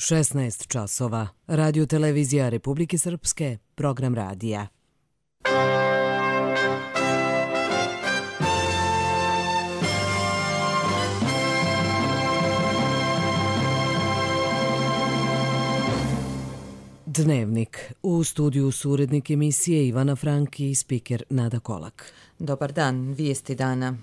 16 časova. Radio televizija Republike Srpske, program radija. Dnevnik. U studiju su urednik emisije Ivana Franki i spiker Nada Kolak. Dobar dan, vijesti dana.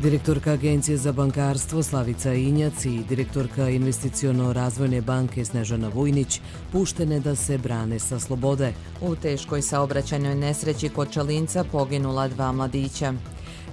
Direktorka Agencije za bankarstvo Slavica Injac i direktorka Investiciono-razvojne banke Snežana Vujnić puštene da se brane sa slobode. U teškoj saobraćajnoj nesreći kod Čalinca poginula 2 mladića.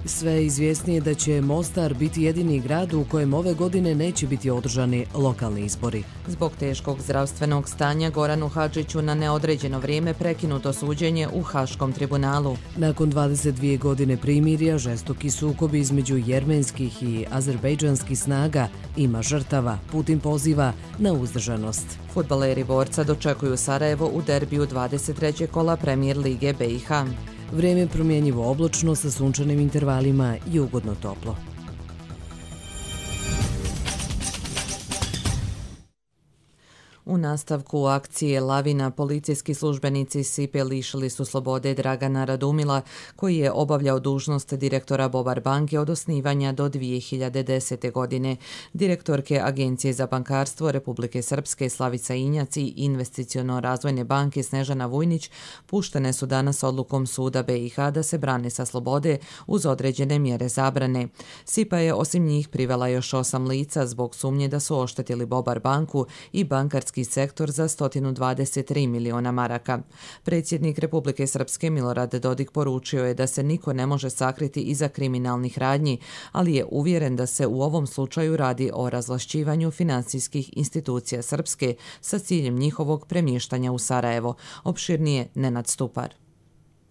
Sve izvjesnije da će Mostar biti jedini grad u kojem ove godine neće biti održani lokalni izbori. Zbog teškog zdravstvenog stanja Goranu Hadžiću na neodređeno vrijeme prekinuto suđenje u Haškom tribunalu. Nakon 22 godine primirja, žestoki sukobi između jermenskih i azerbejdžanskih snaga ima žrtava. Putin poziva na uzdržanost. Fudbaleri Borca dočekuju Sarajevo u derbiju 23. kola Premier lige BiH. Vrijeme promjenjivo oblačno sa sunčanim intervalima i ugodno toplo. U nastavku akcije Lavina policijski službenici SIPA-e lišili su slobode Dragana Radumila, koji je obavljao dužnost direktora Bobar banke od osnivanja do 2010. godine. Direktorke Agencije za bankarstvo Republike Srpske Slavica Injac i Investiciono-razvojne banke Snežana Vujnić puštene su danas odlukom suda BiH da se brane sa slobode uz određene mjere zabrane. SIPA je osim njih privela još 8 lica zbog sumnje da su oštetili Bobar banku i bankarski sektor za 123 miliona maraka. Predsjednik Republike Srpske Milorad Dodik poručio je da se niko ne može sakriti iza kriminalnih radnji, ali je uvjeren da se u ovom slučaju radi o razvlašćivanju finansijskih institucija Srpske sa ciljem njihovog premještanja u Sarajevo. Opširnije Nenad Stupar.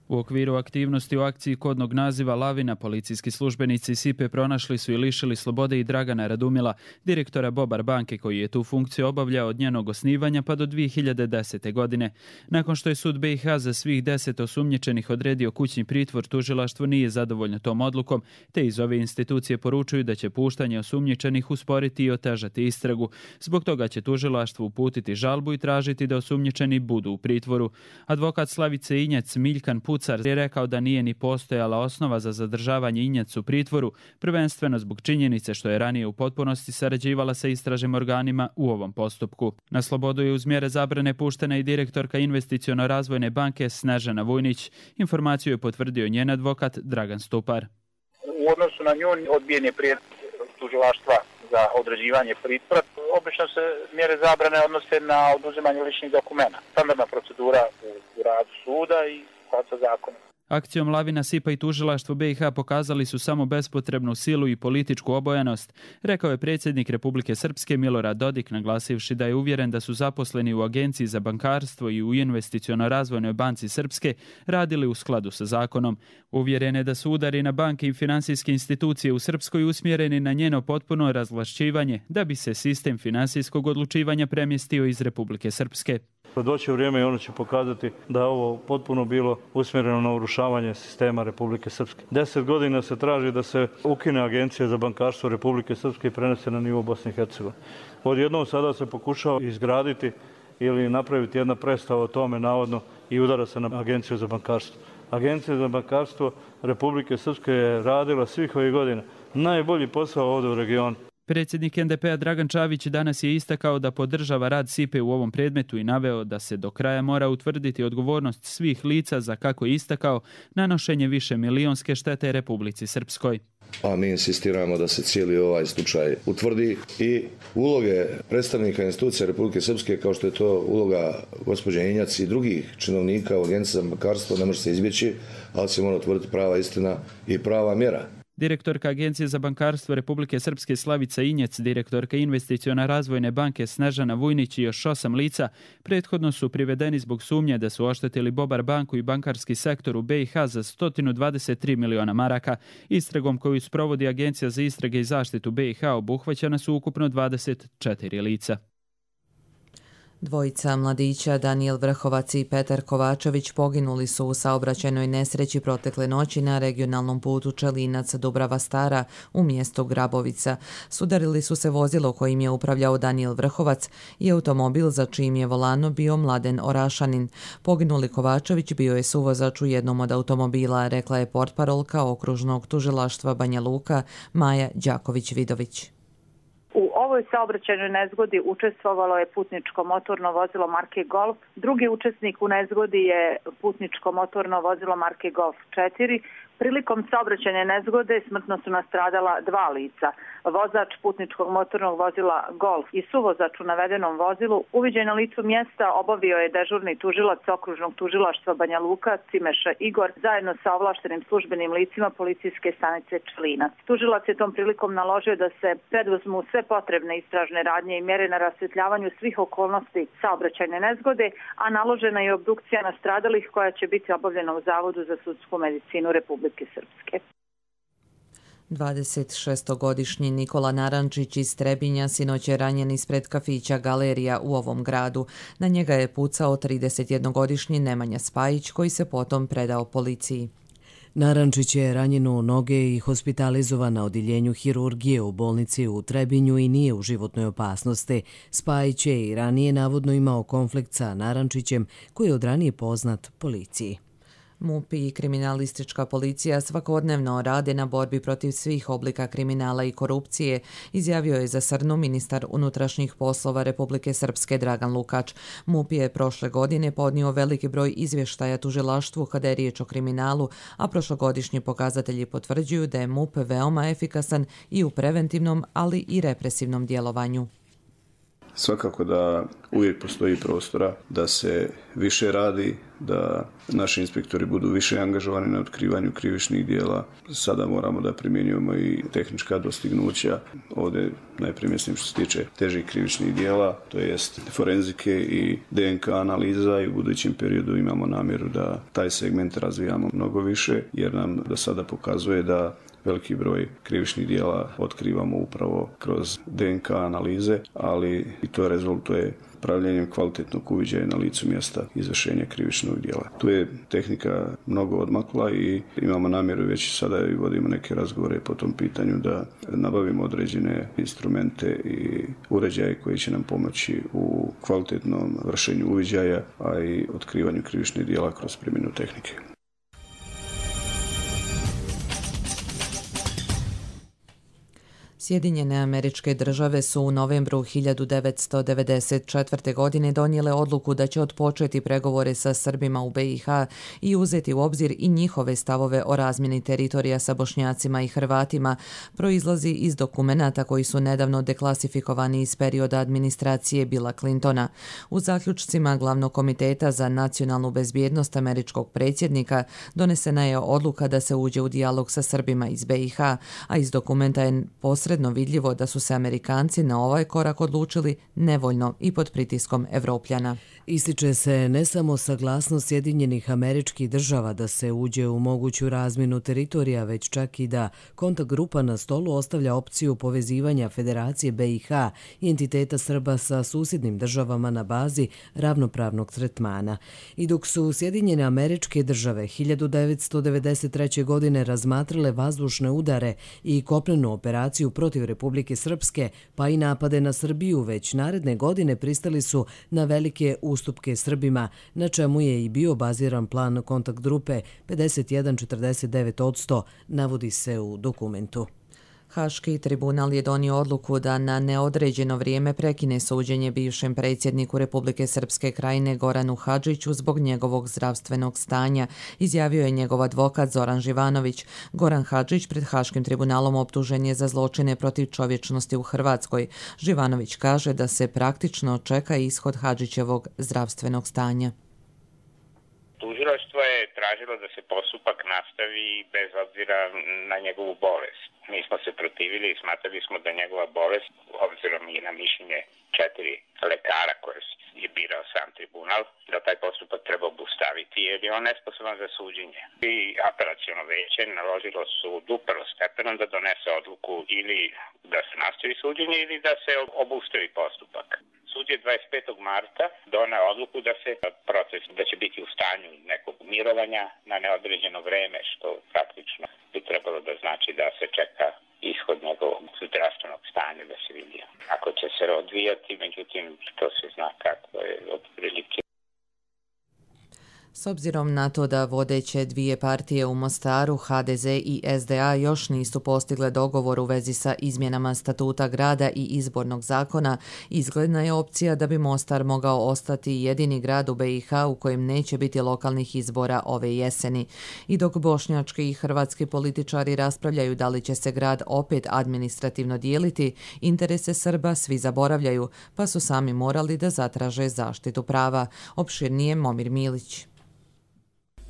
U okviru aktivnosti u akciji kodnog naziva Lavina, policijski službenici SIPA-e pronašli su i lišili slobode i Dragana Radumila, direktora Bobar banke, koji je tu funkciju obavljao od njenog osnivanja pa do 2010. godine. Nakon što je sud BiH za svih 10 osumnjičenih odredio kućni pritvor, tužilaštvo nije zadovoljno tom odlukom, te iz ove institucije poručuju da će puštanje osumnjičenih usporiti i otežati istragu. Zbog toga će tužilaštvo uputiti žalbu i tražiti da osumnjičeni budu u pritvoru. Advokat Slavice Injac Miljkan Pucar je rekao da nije ni postojala osnova za zadržavanje Injac u pritvoru, prvenstveno zbog činjenice što je ranije u potpunosti sarađivala sa istražnim organima u ovom postupku. Na slobodu je uz mjere zabrane puštena i direktorka Investiciono-razvojne banke Snežana Vujnić. Informaciju je potvrdio njen advokat Dragan Stupar. U odnosu na nju odbijen je prijedlog tužilaštva za određivanje pritvora. Obično se mjere zabrane odnose na oduzimanje ličnih dokumenta. Standardna procedura u radu suda i sa zakonom. Akcijom Lavina, SIPA i tužilaštvo BiH pokazali su samo bespotrebnu silu i političku obojanost, rekao je predsjednik Republike Srpske Milorad Dodik, naglasivši da je uvjeren da su zaposleni u Agenciji za bankarstvo i u Investiciono-razvojnoj banci Srpske radili u skladu sa zakonom. Uvjeren je da su udari na banke i finansijske institucije u Srpskoj usmjereni na njeno potpuno razvlašćivanje, da bi se sistem finansijskog odlučivanja premjestio iz Republike Srpske. Doći vrijeme i ono će pokazati da je ovo potpuno bilo usmjereno na urušavanje sistema Republike Srpske. 10 godina se traži da se ukine Agencija za bankarstvo Republike Srpske i prenese na nivo Bosne i Hercegovine. Odjednom sada se pokušava izgraditi ili napraviti jedna predstava o tome navodno i udara se na Agenciju za bankarstvo. Agencija za bankarstvo Republike Srpske je radila svih ovih godina najbolji posao ovdje u regionu. Predsjednik NDP-a Dragan Čavić danas je istakao da podržava rad SIPA-e u ovom predmetu i naveo da se do kraja mora utvrditi odgovornost svih lica za, kako je istakao, nanošenje više milionske štete Republici Srpskoj. A mi insistiramo da se cijeli ovaj slučaj utvrdi i uloge predstavnika institucija Republike Srpske, kao što je to uloga gospođe Injac i drugih činovnika u Agenciji za bankarstvo, ne može se izbjeći, ali se mora utvrditi prava istina i prava mjera. Direktorka Agencije za bankarstvo Republike Srpske Slavica Injac, direktorka Investiciono-razvojne banke Snežana Vujnić i još 8 lica prethodno su privedeni zbog sumnje da su oštetili Bobar banku i bankarski sektor u BiH za 123 miliona maraka. Istragom koju sprovodi Agencija za istrage i zaštitu BiH obuhvaćena su ukupno 24 lica. Dvojica mladića, Danijel Vrhovac i Petar Kovačević, poginuli su u saobraćajnoj nesreći protekle noći na regionalnom putu Čelinac-Dubrava Stara u mjestu Grabovica. Sudarili su se vozilo kojim je upravljao Danijel Vrhovac i automobil za čijim je volanom bio Mladen Orašanin. Poginuli Kovačević bio je suvozač u jednom od automobila, rekla je portparolka okružnog tužilaštva Banja Luka Maja Đaković-Vidović. U ovoj saobraćajnoj nezgodi učestvovalo je putničko motorno vozilo marke Golf. Drugi učesnik u nezgodi je putničko motorno vozilo marke Golf 4. Prilikom saobraćajne nezgode smrtno su nastradala dva lica. Vozač putničkog motornog vozila Golf i suvozač u navedenom vozilu uviđaj na licu mjesta obavio je dežurni tužilac okružnog tužilaštva Banja Luka Cimeša Igor zajedno sa ovlaštenim službenim licima policijske stanice Čelinac. Tužilac je tom prilikom naložio da se preduzmu sve potrebne istražne radnje i mjere na rasvjetljavanju svih okolnosti saobraćajne nezgode, a naložena je obdukcija nastradalih koja će biti obavljena u Zavodu za sudsku medicinu Republike Srpske. 26-godišnji Nikola Narančić iz Trebinja sinoć je ranjen ispred kafića Galerija u ovom gradu. Na njega je pucao 31-godišnji Nemanja Spajić koji se potom predao policiji. Narančić je ranjen u noge i hospitalizovan na odjeljenju hirurgije u bolnici u Trebinju i nije u životnoj opasnosti. Spajić je i ranije navodno imao konflikt sa Narančićem koji je od ranije poznat policiji. MUP i kriminalistička policija svakodnevno rade na borbi protiv svih oblika kriminala i korupcije, izjavio je za Srnu ministar unutrašnjih poslova Republike Srpske Dragan Lukač. MUP je prošle godine podnio veliki broj izvještaja tužilaštvu kada je riječ o kriminalu, a prošlogodišnji pokazatelji potvrđuju da je MUP veoma efikasan i u preventivnom, ali i represivnom djelovanju. Svakako da uvijek postoji prostora da se više radi, da naši inspektori budu više angažovani na otkrivanju krivičnih dijela. Sada moramo da primjenjujemo i tehnička dostignuća. Ovdje najprije mislim što se tiče težih krivičnih dijela, to jest forenzike i DNK analiza i u budućem periodu imamo namjeru da taj segment razvijamo mnogo više, jer nam do sada pokazuje da veliki broj krivičnih dijela otkrivamo upravo kroz DNK analize, ali i to rezultuje pravljenjem kvalitetnog uviđaja na licu mjesta izvršenja krivičnog dijela. Tu je tehnika mnogo odmakla i imamo namjeru već sada i vodimo neke razgovore po tom pitanju da nabavimo određene instrumente i uređaje koji će nam pomoći u kvalitetnom vršenju uviđaja, a i otkrivanju krivičnih dijela kroz primjenu tehnike. Sjedinjene Američke Države su u novembru 1994. godine donijele odluku da će otpočeti pregovore sa Srbima u BiH i uzeti u obzir i njihove stavove o razmjeni teritorija sa Bošnjacima i Hrvatima, proizlazi iz dokumenata koji su nedavno deklasifikovani iz perioda administracije Billa Clintona. U zaključcima Glavnog komiteta za nacionalnu bezbjednost američkog predsjednika donesena je odluka da se uđe u dijalog sa Srbima iz BiH, a iz dokumenta je posredno vidljivo da su se Amerikanci na ovaj korak odlučili nevoljno i pod pritiskom Evropljana. Ističe se ne samo saglasnost Sjedinjenih Američkih Država da se uđe u moguću razmjenu teritorija, već čak i da kontakt grupa na stolu ostavlja opciju povezivanja Federacije BiH i entiteta Srba sa susjednim državama na bazi ravnopravnog tretmana. I dok su Sjedinjene Američke Države 1993. godine razmatrale vazdušne udare i kopnenu operaciju protiv Republike Srpske, pa i napade na Srbiju, već naredne godine pristali su na velike ustupke Srbima, na čemu je i bio baziran plan kontakt grupe 51,49%, navodi se u dokumentu. Haški tribunal je donio odluku da na neodređeno vrijeme prekine suđenje bivšem predsjedniku Republike Srpske Krajine Goranu Hadžiću zbog njegovog zdravstvenog stanja, izjavio je njegov advokat Zoran Živanović. Goran Hadžić pred Haškim tribunalom optužen je za zločine protiv čovječnosti u Hrvatskoj. Živanović kaže da se praktično čeka ishod Hadžićevog zdravstvenog stanja. Tužilaštvo je tražilo da se postupak nastavi bez obzira na njegovu bolest. Mi smo se protivili i smatrali smo da njegova bolest, obzirom i na mišljenje 4 lekara koje je birao sam tribunal, da taj postupak treba obustaviti jer je on nesposoban za suđenje. I apelaciono veće naložilo sudu prvostepenom da donese odluku ili da se nastavi suđenje ili da se obustavi postupak. Sud je 25. marta doneo odluku da se proces, da će biti u stanju nekog mirovanja na neodređeno vreme, što praktično bi trebalo da znači da se čeka ishod njegovog zdravstvenog stanja da se vidi. Ako će se odvijati, međutim, to se zna kako je otprilike. S obzirom na to da vodeće dvije partije u Mostaru, HDZ i SDA, još nisu postigle dogovor u vezi sa izmjenama statuta grada i izbornog zakona, izgledna je opcija da bi Mostar mogao ostati jedini grad u BiH u kojem neće biti lokalnih izbora ove jeseni. I dok bošnjački i hrvatski političari raspravljaju da li će se grad opet administrativno dijeliti, interese Srba svi zaboravljaju, pa su sami morali da zatraže zaštitu prava. Opširnije Momir Milić.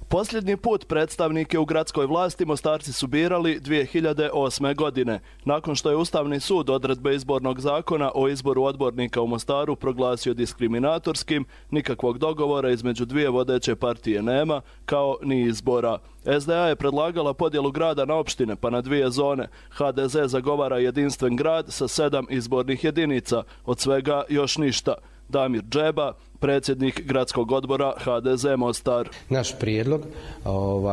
Posljednji put predstavnike u gradskoj vlasti Mostarci su birali 2008. godine. Nakon što je Ustavni sud odredbe izbornog zakona o izboru odbornika u Mostaru proglasio diskriminatorskim, nikakvog dogovora između dvije vodeće partije nema, kao ni izbora. SDA je predlagala podjelu grada na opštine pa na dvije zone. HDZ zagovara jedinstven grad sa 7 izbornih jedinica, od svega još ništa. Damir Džeba, predsjednik gradskog odbora HDZ Mostar. Naš prijedlog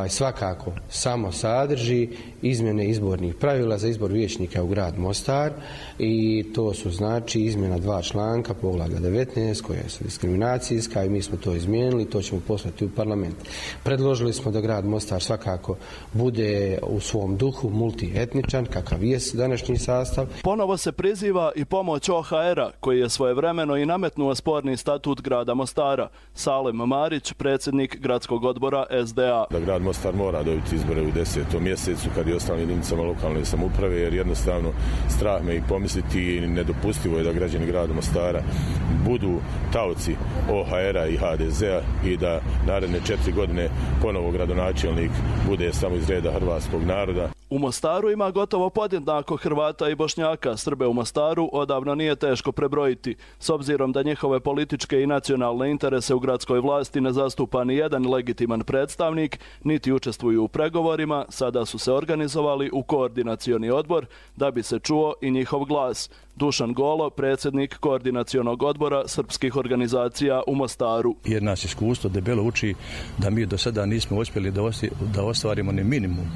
svakako samo sadrži izmjene izbornih pravila za izbor vijećnika u grad Mostar i to su znači izmjena 2 članka poglavlja 19 koja su diskriminacijska i mi smo to izmijenili, to ćemo poslati u parlament. Predložili smo da grad Mostar svakako bude u svom duhu multietničan, kakav je današnji sastav. Ponovo se priziva i pomoć OHR-a koji je svojevremeno i nametnuo sporni statut grada Mostara. Salem Marić, predsjednik gradskog odbora SDA. Da grad Mostar mora dobiti izbore u 10. mjesecu kad je ostalim jedinicama lokalne samouprave, jer jednostavno strah me i pomisliti i nedopustivo je da građani grada Mostara budu taoci OHR-a i HDZ-a i da naredne 4 godine ponovo gradonačelnik bude samo iz reda hrvatskog naroda. U Mostaru ima gotovo podjednako Hrvata i Bošnjaka. Srbe u Mostaru odavno nije teško prebrojiti. S obzirom da njihove političke i nacionalne interese u gradskoj vlasti ne zastupa ni jedan legitiman predstavnik, niti učestvuju u pregovorima, sada su se organizovali u koordinacioni odbor da bi se čuo i njihov glas. Dušan Golo, predsjednik koordinacionog odbora srpskih organizacija u Mostaru. Jer nas iskustvo debelo uči da mi do sada nismo uspjeli da ostvarimo ni minimum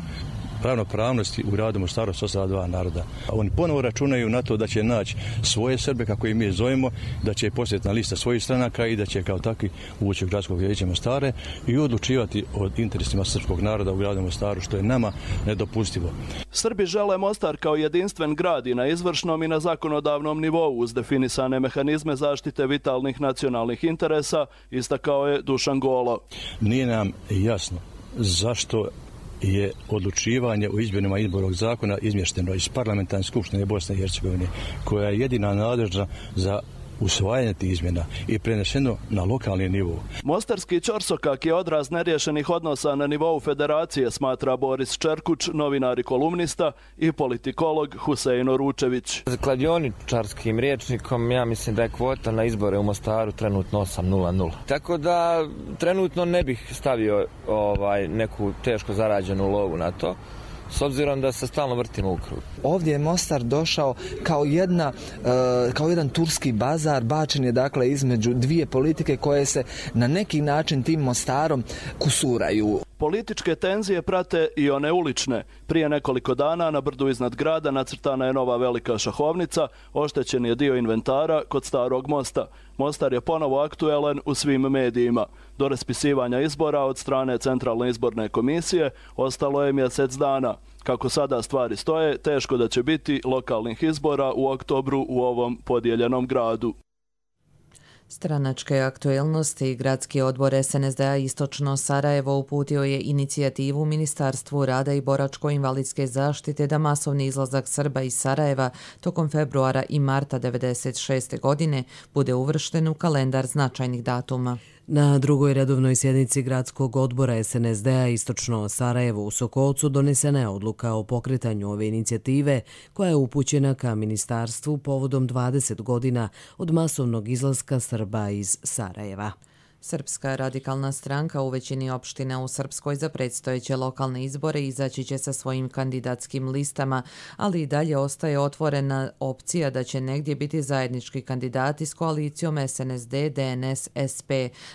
ravnopravnosti u gradu Mostaru s ostala 2 naroda. Oni ponovo računaju na to da će naći svoje Srbe, kako i mi zovemo, da će posjetna lista svojih stranaka i da će kao takvi ući u gradskog vijeća Mostare i odlučivati o interesima srpskog naroda u gradu Mostaru, što je nama nedopustivo. Srbi žele Mostar kao jedinstven grad i na izvršnom i na zakonodavnom nivou uz definisane mehanizme zaštite vitalnih nacionalnih interesa, istakao je Dušan Golo. Nije nam jasno zašto je odlučivanje o izmjenama izbornog zakona izmješteno iz parlamentarne skupštine Bosne i Hercegovine, koja je jedina nadležna za usvajanje tih izmjena i preneseno na lokalni nivou. Mostarski ćorsokak je odraz neriješenih odnosa na nivou federacije, smatra Boris Čerkuć, novinar i kolumnista, i politikolog Husein Oručević. Kladioničarskim rječnikom ja mislim da je kvota na izbore u Mostaru trenutno 8:0:0. Tako da trenutno ne bih stavio neku teško zarađenu lovu na to, s obzirom da se stalno vrtimo u krug. Ovdje je Mostar došao kao jedan turski bazar, bačen je dakle između dvije politike koje se na neki način tim Mostarom kusuraju. Političke tenzije prate i one ulične. Prije nekoliko dana na brdu iznad grada nacrtana je nova velika šahovnica, oštećen je dio inventara kod Starog mosta. Mostar je ponovo aktuelan u svim medijima. Do raspisivanja izbora od strane Centralne izborne komisije ostalo je mjesec dana. Kako sada stvari stoje, teško da će biti lokalnih izbora u oktobru u ovom podijeljenom gradu. Stranačke aktuelnosti. Gradski odbor SNSD-a Istočno Sarajevo uputio je inicijativu Ministarstvu rada i boračko-invalidske zaštite da masovni izlazak Srba iz Sarajeva tokom februara i marta 1996. godine bude uvršten u kalendar značajnih datuma. Na drugoj redovnoj sjednici gradskog odbora SNSD-a Istočno Sarajevo u Sokolcu donesena je odluka o pokretanju ove inicijative koja je upućena ka ministarstvu povodom 20 godina od masovnog izlaska Srba iz Sarajeva. Srpska radikalna stranka u većini opština u Srpskoj za predstojeće lokalne izbore izaći će sa svojim kandidatskim listama, ali i dalje ostaje otvorena opcija da će negdje biti zajednički kandidati s koalicijom SNSD, DNS, SP,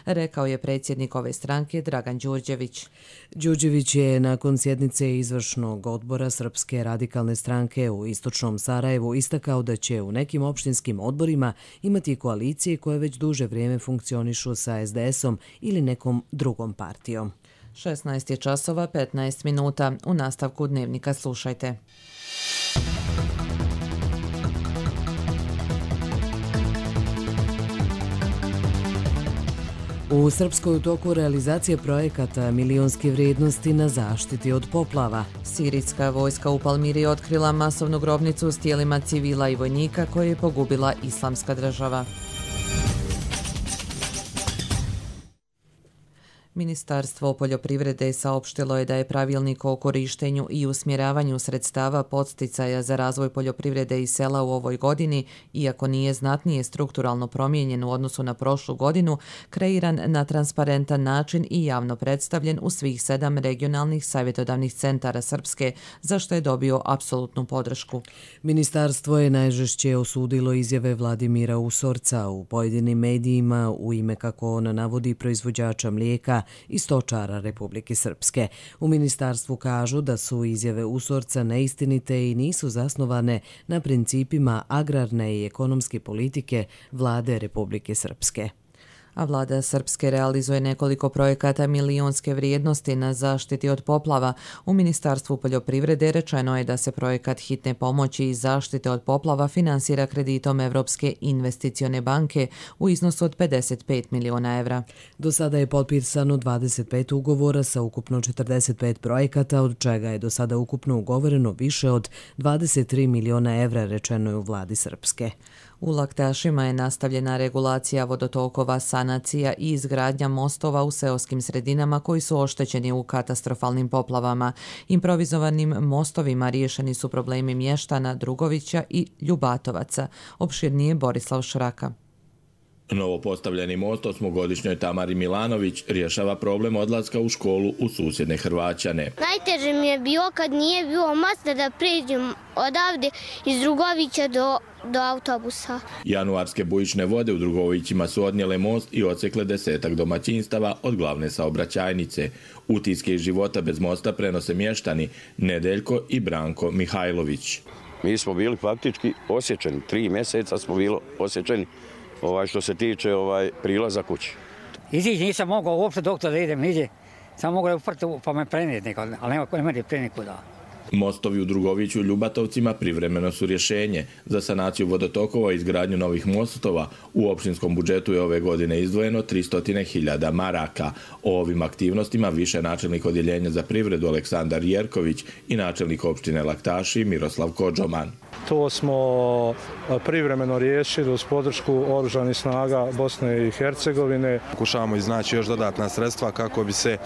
rekao je predsjednik ove stranke Dragan Đurđević. Đurđević je nakon sjednice izvršnog odbora Srpske radikalne stranke u istočnom Sarajevu istakao da će u nekim opštinskim odborima imati koalicije koje već duže vrijeme funkcionišu sa SDS-om ili nekom drugom partijom. 16 je časova 15 minuta. U nastavku dnevnika slušajte. U Srpskoj u toku realizacije projekata milionske vrijednosti na zaštiti od poplava. Sirijska vojska u Palmiri otkrila masovnu grobnicu s tijelima civila i vojnika koje je pogubila Islamska država. Ministarstvo poljoprivrede saopštilo je da je pravilnik o korištenju i usmjeravanju sredstava podsticaja za razvoj poljoprivrede i sela u ovoj godini, iako nije znatnije strukturalno promijenjen u odnosu na prošlu godinu, kreiran na transparentan način i javno predstavljen u svih 7 regionalnih savjetodavnih centara Srpske, za što je dobio apsolutnu podršku. Ministarstvo je najžešće osudilo izjave Vladimira Usorca u pojedinim medijima u ime, kako on navodi, proizvođača mlijeka i stočara Republike Srpske. U ministarstvu kažu da su izjave Usorca neistinite i nisu zasnovane na principima agrarne i ekonomske politike vlade Republike Srpske. A vlada Srpske realizuje nekoliko projekata milionske vrijednosti na zaštiti od poplava. U Ministarstvu poljoprivrede rečeno je da se projekat hitne pomoći i zaštite od poplava finansira kreditom Evropske investicione banke u iznosu od 55 miliona evra. Do sada je potpisano 25 ugovora sa ukupno 45 projekata, od čega je do sada ukupno ugovoreno više od 23 miliona evra, rečeno je u vladi Srpske. U Laktašima je nastavljena regulacija vodotokova, sanacija i izgradnja mostova u seoskim sredinama koji su oštećeni u katastrofalnim poplavama. Improvizovanim mostovima riješeni su problemi mještana Drugovića i Ljubatovaca. Opširnije Borislav Šraka. Novo postavljeni most osmogodišnjoj Tamari Milanović rješava problem odlaska u školu u susjedne Hrvaćane. Najteže mi je bilo kad nije bilo mosta da pređem odavde iz Drugovića do autobusa. Januarske bujične vode u Drugovićima su odnijele most i odsekle 10 domaćinstava od glavne saobraćajnice. Utiske iz života bez mosta prenose mještani Nedeljko i Branko Mihajlović. Mi smo bili faktički osjećeni, 3 mjeseca smo bili osjećeni što se tiče prilaza kući. Izići nisam mogao uopšte doktor da idem niđe. Sam mogao uprti pa me prenijeti nekad, ali nema ko ne pre nikuda. Mostovi u Drugoviću i Ljubatovcima privremeno su rješenje. Za sanaciju vodotokova i izgradnju novih mostova u opštinskom budžetu je ove godine izdvojeno 300.000 maraka. O ovim aktivnostima više načelnik odjeljenja za privredu Aleksandar Jerković i načelnik opštine Laktaši Miroslav Kodžoman. To smo privremeno riješili uz podršku oružanih snaga Bosne i Hercegovine. Pokušavamo iznaći još dodatna sredstva kako bi se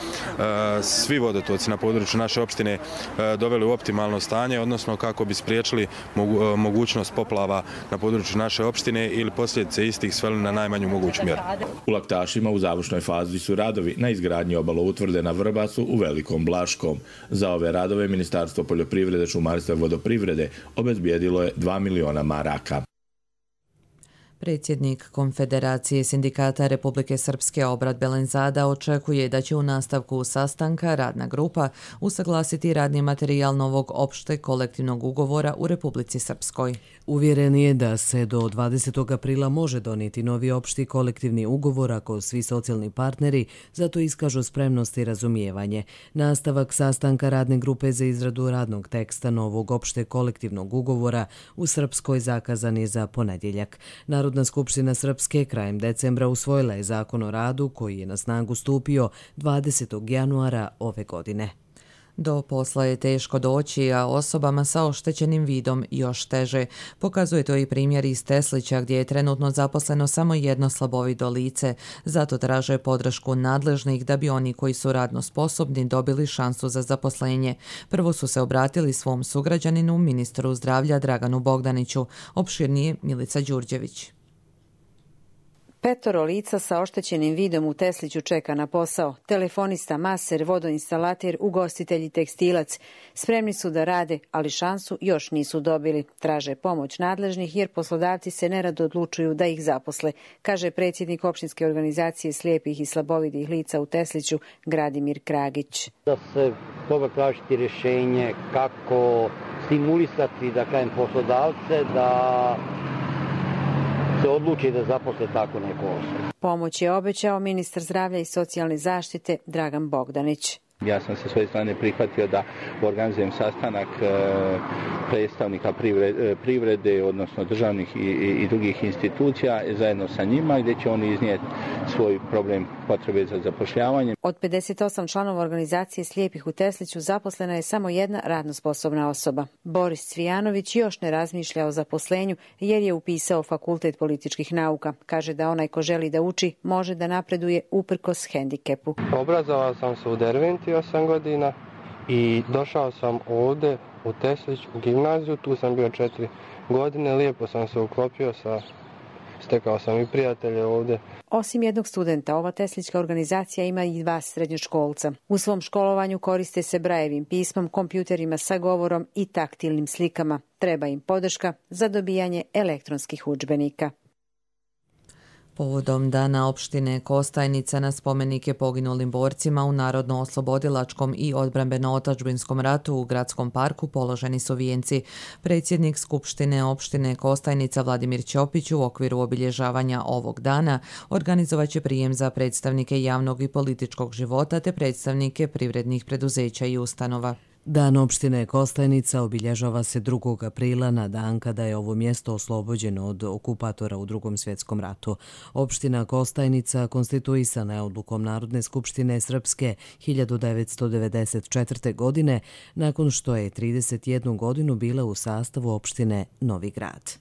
svi vodotoci na području naše opštine doveli u optimalno stanje, odnosno kako bi spriječili mogućnost poplava na području naše opštine ili posljedice istih sveli na najmanju moguću mjeru. U Laktašima u završnoj fazi su radovi na izgradnji obaloutvrde na Vrbasu u Velikom Blaškom. Za ove radove Ministarstvo poljoprivrede, šumarstva i vodoprivrede obezbijedilo je 2 miliona maraka. Predsjednik Konfederacije sindikata Republike Srpske Obrad Belenzada očekuje da će u nastavku sastanka radna grupa usaglasiti radni materijal novog opšte kolektivnog ugovora u Republici Srpskoj. Uvjeren je da se do 20. aprila može donijeti novi opšti kolektivni ugovor ako svi socijalni partneri zato iskažu spremnost i razumijevanje. Nastavak sastanka radne grupe za izradu radnog teksta novog opšte kolektivnog ugovora u Srpskoj zakazan je za ponedjeljak. Narodna skupština Srpske krajem decembra usvojila je zakon o radu koji je na snagu stupio 20. januara ove godine. Do posla je teško doći, a osobama sa oštećenim vidom još teže. Pokazuje to i primjer iz Teslića gdje je trenutno zaposleno samo jedno slabovido lice. Zato traže podršku nadležnih da bi oni koji su radno sposobni dobili šansu za zaposlenje. Prvo su se obratili svom sugrađaninu, ministru zdravlja Draganu Bogdaniću. Opširnije Milica Đurđević. 5 lica sa oštećenim vidom u Tesliću čeka na posao. Telefonista, maser, vodoinstalater, ugostitelj i tekstilac. Spremni su da rade, ali šansu još nisu dobili. Traže pomoć nadležnih jer poslodavci se nerado odlučuju da ih zaposle, kaže predsjednik opštinske organizacije slijepih i slabovidih lica u Tesliću, Gradimir Kragić. Da se treba tražiti rješenje kako stimulisati, da kažem, poslodavce da se odluči da zaposle tako neko osobu. Pomoć je obećao ministar zdravlja i socijalne zaštite Dragan Bogdanić. Ja sam sa svoje strane prihvatio da organizujem sastanak predstavnika privrede, odnosno državnih i drugih institucija zajedno sa njima, gdje će oni iznijeti svoj problem potrebe za zapošljavanje. Od 58 članova organizacije slijepih u Tesliću zaposlena je samo jedna radno sposobna osoba. Boris Cvijanović još ne razmišlja o zaposlenju jer je upisao Fakultet političkih nauka. Kaže da onaj ko želi da uči može da napreduje uprkos hendikepu. Obrazovao sam se u Derventi 8 godina i došao sam ovdje u Teslić u gimnaziju, tu sam bio 4 godine, lijepo sam se uklopio, stekao sam i prijatelje ovdje. Osim jednog studenta, ova teslićka organizacija ima i 2 srednjoškolca. U svom školovanju koriste se Brajevim pismom, kompjuterima sa govorom i taktilnim slikama. Treba im podrška za dobijanje elektronskih udžbenika. Povodom Dana opštine Kostajnica na spomenike poginulim borcima u Narodno-oslobodilačkom i odbrambeno-otadžbinskom ratu u gradskom parku položeni su vijenci. Predsjednik Skupštine opštine Kostajnica Vladimir Ćopić u okviru obilježavanja ovog dana organizovaće prijem za predstavnike javnog i političkog života te predstavnike privrednih preduzeća i ustanova. Dan opštine Kostajnica obilježava se 2. aprila na dan kada je ovo mjesto oslobođeno od okupatora u Drugom svjetskom ratu. Opština Kostajnica konstituisana je odlukom Narodne skupštine Srpske 1994. godine nakon što je 31 godinu bila u sastavu opštine Novi Grad.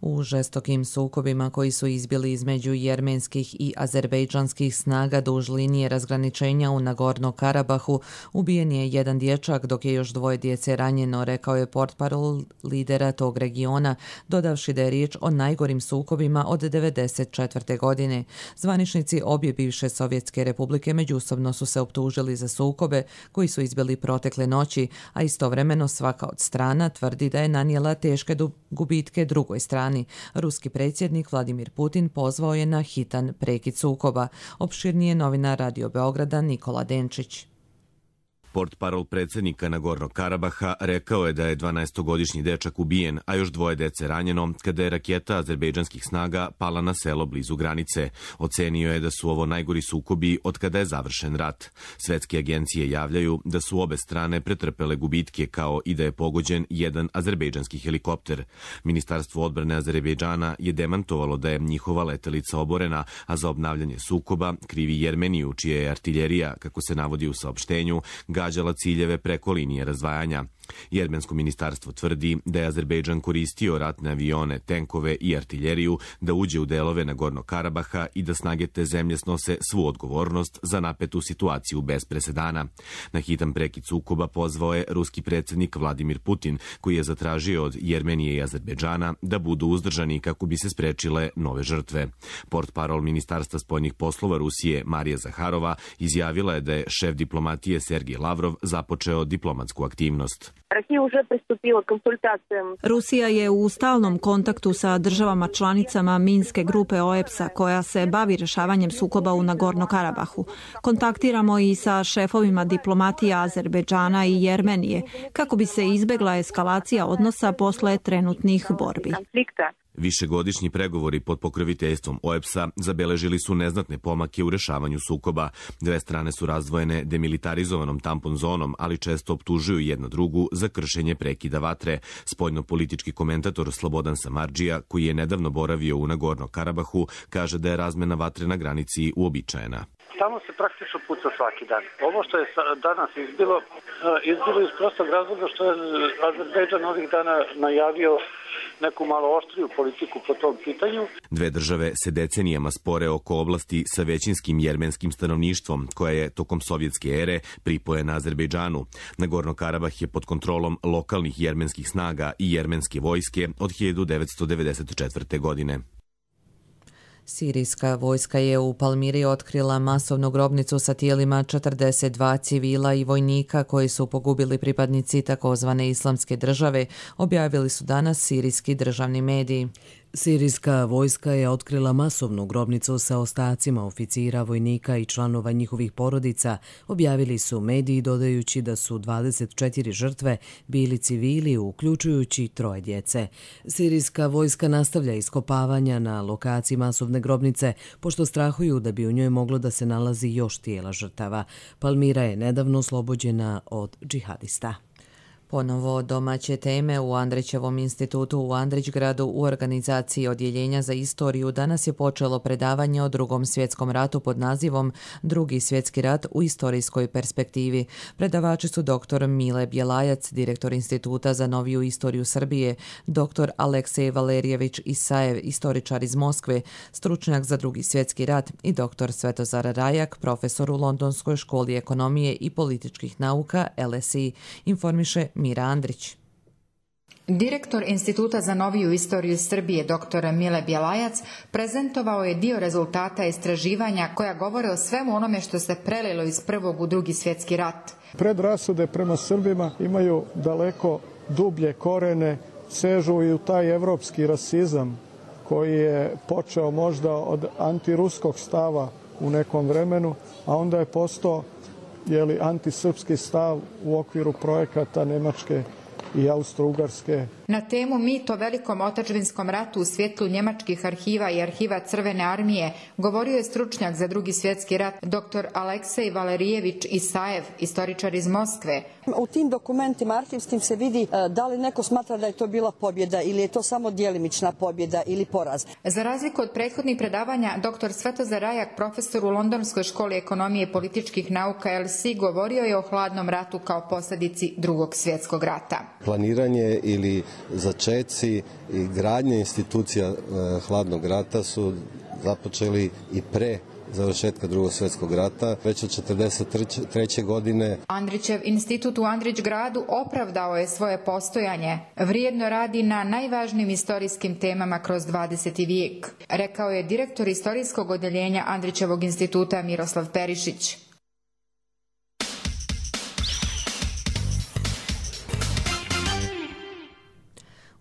U žestokim sukobima koji su izbili između jermenskih i azerbejdžanskih snaga duž linije razgraničenja u Nagorno-Karabahu ubijen je jedan dječak dok je još 2 djece ranjeno, rekao je portparol lidera tog regiona, dodavši da je riječ o najgorim sukobima od 1994. godine. Zvaničnici obje bivše Sovjetske republike međusobno su se optužili za sukobe koji su izbili protekle noći, a istovremeno svaka od strana tvrdi da je nanijela teške gubitke drugoj strani. Ruski predsjednik Vladimir Putin pozvao je na hitan prekid sukoba. Opširnije novinar Radio Beograda Nikola Denčić. Portparol predsjednika Nagornog Karabaha rekao je da je 12-godišnji dečak ubijen, a još 2 djece ranjeno kada je raketa azerbejdžanskih snaga pala na selo blizu granice. Ocenio je da su ovo najgori sukobi od kada je završen rat. Svetske agencije javljaju da su obe strane pretrpele gubitke kao i da je pogođen jedan azerbejdžanski helikopter. Ministarstvo odbrane Azerbejdžana je demantovalo da je njihova letelica oborena, a za obnavljanje sukoba krivi Jermeniju, čija je artiljerija, kako se navodi u saopštenju, gađala ciljeve preko linije razdvajanja. Jermensko ministarstvo tvrdi da je Azerbejdžan koristio ratne avione, tenkove i artiljeriju da uđe u delove Nagornog Karabaha i da snage te zemlje snose svu odgovornost za napetu situaciju bez presedana. Na hitan prekid sukoba pozvao je ruski predsjednik Vladimir Putin, koji je zatražio od Jermenije i Azerbejdžana da budu uzdržani kako bi se sprečile nove žrtve. Portparol Ministarstva spoljnih poslova Rusije Marija Zaharova izjavila je da je šef diplomatije Sergej Lavrov započeo diplomatsku aktivnost. Rusija je u stalnom kontaktu sa državama članicama Minske grupe OEPS-a koja se bavi rješavanjem sukoba u Nagorno-Karabahu. Kontaktiramo i sa šefovima diplomatija Azerbejdžana i Jermenije kako bi se izbjegla eskalacija odnosa posle trenutnih borbi. Višegodišnji pregovori pod pokroviteljstvom OEPS-a zabeležili su neznatne pomake u rešavanju sukoba. 2 strane su razdvojene demilitarizovanom tampon zonom, ali često optužuju jednu drugu za kršenje prekida vatre. Spoljno-politički komentator Slobodan Samardžija, koji je nedavno boravio u Nagorno Karabahu, kaže da je razmena vatre na granici uobičajena. Tamo se praktično puca svaki dan. Ovo što je danas izbilo iz prostog razloga što je Azerbejdžan ovih dana najavio neku malo oštriju politiku po tom pitanju. Dve države se decenijama spore oko oblasti sa većinskim jermenskim stanovništvom, koja je tokom sovjetske ere pripojena Azerbejdžanu. Nagorno-Karabah je pod kontrolom lokalnih jermenskih snaga i jermenske vojske od 1994. godine. Sirijska vojska je u Palmiri otkrila masovnu grobnicu sa tijelima 42 civila i vojnika koji su pogubili pripadnici takozvane islamske države, objavili su danas sirijski državni mediji. Sirijska vojska je otkrila masovnu grobnicu sa ostacima oficira, vojnika i članova njihovih porodica, objavili su mediji dodajući da su 24 žrtve bili civili, uključujući 3 djece. Sirijska vojska nastavlja iskopavanja na lokaciji masovne grobnice, pošto strahuju da bi u njoj moglo da se nalazi još tijela žrtava. Palmira je nedavno oslobođena od džihadista. Ponovo domaće teme u Andrićevom institutu u Andrićgradu u organizaciji Odjeljenja za istoriju danas je počelo predavanje o Drugom svjetskom ratu pod nazivom Drugi svjetski rat u istorijskoj perspektivi. Predavači su dr. Mile Bjelajac, direktor Instituta za noviju istoriju Srbije, dr. Aleksej Valerijević Isajev, istoričar iz Moskve, stručnjak za Drugi svjetski rat, i dr. Svetozar Rajak, profesor u Londonskoj školi ekonomije i političkih nauka LSE, informiše Mira Andrić. Direktor Instituta za noviju istoriju Srbije dr. Mile Bjelajac prezentovao je dio rezultata istraživanja koja govore o svemu onome što se prelilo iz prvog u Drugi svjetski rat. Predrasude prema Srbima imaju daleko dublje korene, sežu i u taj evropski rasizam koji je počeo možda od antiruskog stava u nekom vremenu, a onda je postao antisrpski stav u okviru projekata Nemačke i Austro-Ugarske. Na temu Mit o velikom otadžbinskom ratu u svjetlu njemačkih arhiva i arhiva Crvene armije govorio je stručnjak za Drugi svjetski rat dr. Aleksej Valerijević Isajev, istoričar iz Moskve. U tim dokumentima arhivskim se vidi da li neko smatra da je to bila pobjeda ili je to samo djelimična pobjeda ili poraz. Za razliku od prethodnih predavanja, dr. Svetozar Rajak, profesor u Londonskoj školi ekonomije i političkih nauka LSE, govorio je o hladnom ratu kao posljedici Drugog svjetskog rata. Planiranje ili začeci i gradnje institucija hladnog rata su započeli i pre završetka Drugog svjetskog rata, već od 1943. godine. Andrićev institut u Andrićgradu opravdao je svoje postojanje. Vrijedno radi na najvažnijim istorijskim temama kroz 20. vijek, rekao je direktor istorijskog odjeljenja Andrićevog instituta Miroslav Perišić.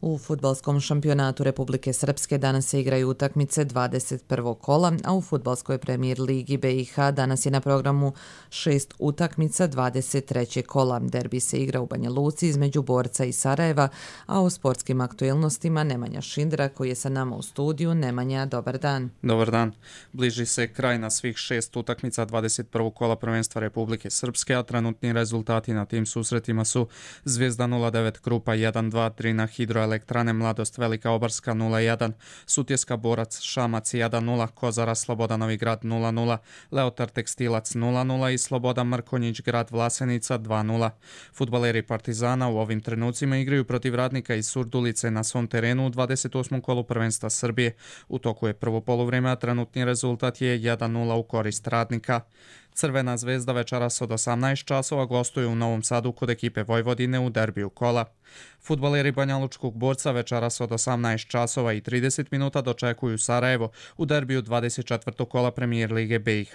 U fudbalskom šampionatu Republike Srpske danas se igraju utakmice 21. kola, a u fudbalskoj premijer ligi BiH danas je na programu 6 utakmica 23. kola. Derbi se igra u Banja Luci između Borca i Sarajeva, a o sportskim aktuelnostima Nemanja Šindra koji je sa nama u studiju. Nemanja, dobar dan. Dobar dan. Bliži se kraj na svih 6 utakmica 21. kola prvenstva Republike Srpske, a trenutni rezultati na tim susretima su Zvijezda 0-9, Krupa 1-2, na Hidroelektrane Mladost Velika Obarska 0-1, Sutjeska Borac Šamac 1-0, Kozara Sloboda Novi Grad 0-0, Leotar Tekstilac 0-0 i Sloboda Mrkonjić Grad Vlasenica 2-0. Fudbaleri Partizana u ovim trenucima igraju protiv Radnika iz Surdulice na svom terenu u 28. kolu prvenstva Srbije. U toku je prvo poluvrijeme, a trenutni rezultat je 1-0 u korist Radnika. Crvena zvezda večeras od 18 časova gostuje u Novom Sadu kod ekipe Vojvodine u derbiju kola. Fudbaleri Banjalučkog Borca večeras od 18 časova i 30 minuta dočekuju Sarajevo u derbiju 24. kola premijer lige BiH.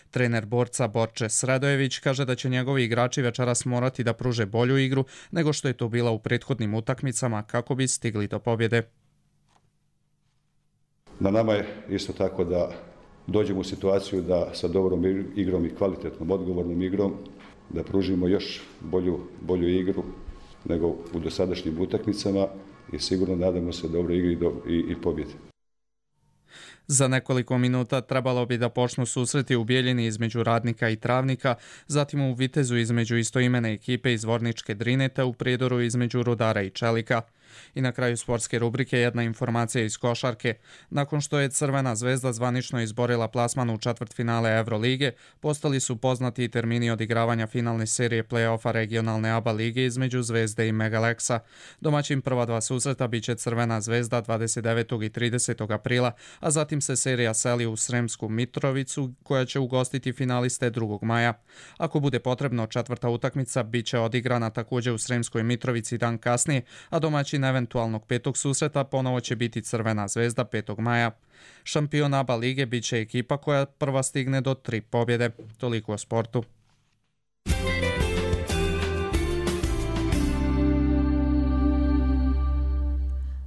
Trener Borca Borče Sredojević kaže da će njegovi igrači večeras morati da pruže bolju igru nego što je to bila u prethodnim utakmicama kako bi stigli do pobjede. Na nama je isto tako da dođemo u situaciju da sa dobrom igrom i kvalitetnom, odgovornom igrom da pružimo još bolju igru nego u dosadašnjim utakmicama i sigurno nadamo se dobroj igri i pobjedi. Za nekoliko minuta trebalo bi da počnu susreti u Bijeljini između Radnika i Travnika, zatim u Vitezu između istoimene ekipe iz Vorničke Drine te u Prijedoru između Rudara i Čelika. I na kraju sportske rubrike jedna informacija iz košarke. Nakon što je Crvena zvezda zvanično izborila plasman u četvrtfinale Evrolige, postali su poznati i termini odigravanja finalne serije play-offa regionalne ABA lige između Zvezde i Megalexa. Domaćin prva dva susreta biće Crvena zvezda 29. i 30. aprila, a zatim se serija seli u Sremsku Mitrovicu koja će ugostiti finaliste 2. maja. Ako bude potrebno, četvrta utakmica biće odigrana također u Sremskoj Mitrovici dan kasnije, a domaćin eventualnog petog susreta ponovo će biti Crvena zvezda 5. maja. Šampion ABA lige biće ekipa koja prva stigne do 3 pobjede. Toliko o sportu.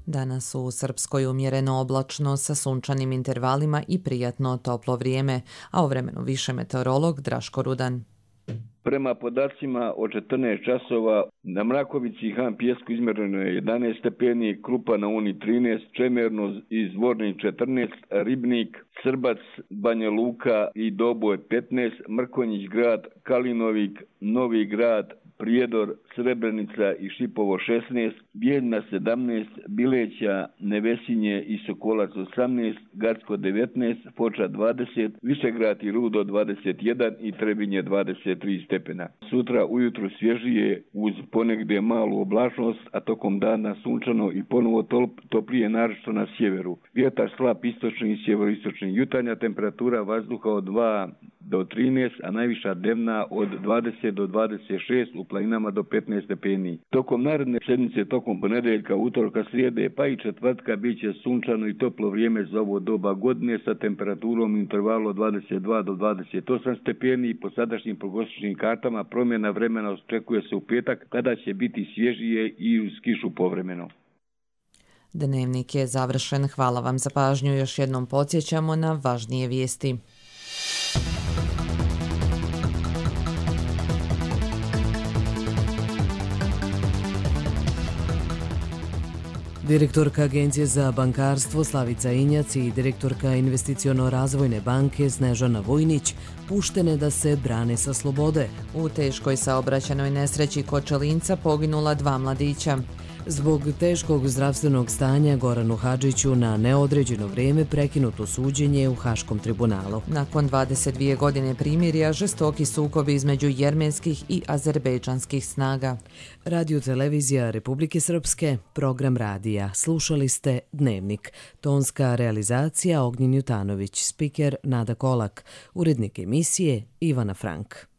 Danas u Srpskoj umjereno oblačno sa sunčanim intervalima i prijatno toplo vrijeme, a o vremenu više meteorolog Draško Rudan. Prema podacima od 14 časova na Mrakovici i Han Pijesku izmjereno je 11 stepeni, Krupa na Uni 13, Čemerno i Zvornik 14, Ribnik, Srbac, Banja Luka i Doboj 15, Mrkonjić grad, Kalinovik, Novi grad, Prijedor, Srebrenica i Šipovo 16, Bijeljna 17, Bileća, Nevesinje i Sokolac 18, Gacko 19, Foča 20, Višegrad i Rudo 21 i Trebinje 23 stepena. Sutra ujutru svježije uz ponegdje malu oblačnost, a tokom dana sunčano i ponovo toplije naročito na sjeveru. Vjetar slab istočni i sjeveroistočni. Jutarnja temperatura vazduha od 2 do 13, a najviša dnevna od 20 do 26, u planinama do 15 stepeni. Tokom naredne sedmice, tokom ponedeljka, utorka, srijede pa i četvrtka bit će sunčano i toplo vrijeme za ovo doba godine sa temperaturom intervalu od 22 do 28 stepeni i po sadašnjim prognostičnim kartama promjena vremena očekuje se u petak kada će biti svježije i uz kišu povremeno. Dnevnik je završen. Hvala vam za pažnju. Još jednom podsjećamo na važnije vijesti. Direktorka Agencije za bankarstvo Slavica Injac i direktorka Investiciono-razvojne banke Snežana Vojnić puštene da se brane sa slobode. U teškoj saobraćajnoj nesreći kod Čelinca poginula 2 mladića. Zbog teškog zdravstvenog stanja Goranu Hadžiću na neodređeno vrijeme prekinuto suđenje u Haškom tribunalu. Nakon 22 godine primirja, žestoki sukobi između jermenskih i azerbejdžanskih snaga. Radio televizija Republike Srpske, program radija. Slušali ste Dnevnik. Tonska realizacija Ognjen Jutanović, spiker Nada Kolak, urednik emisije Ivana Frank.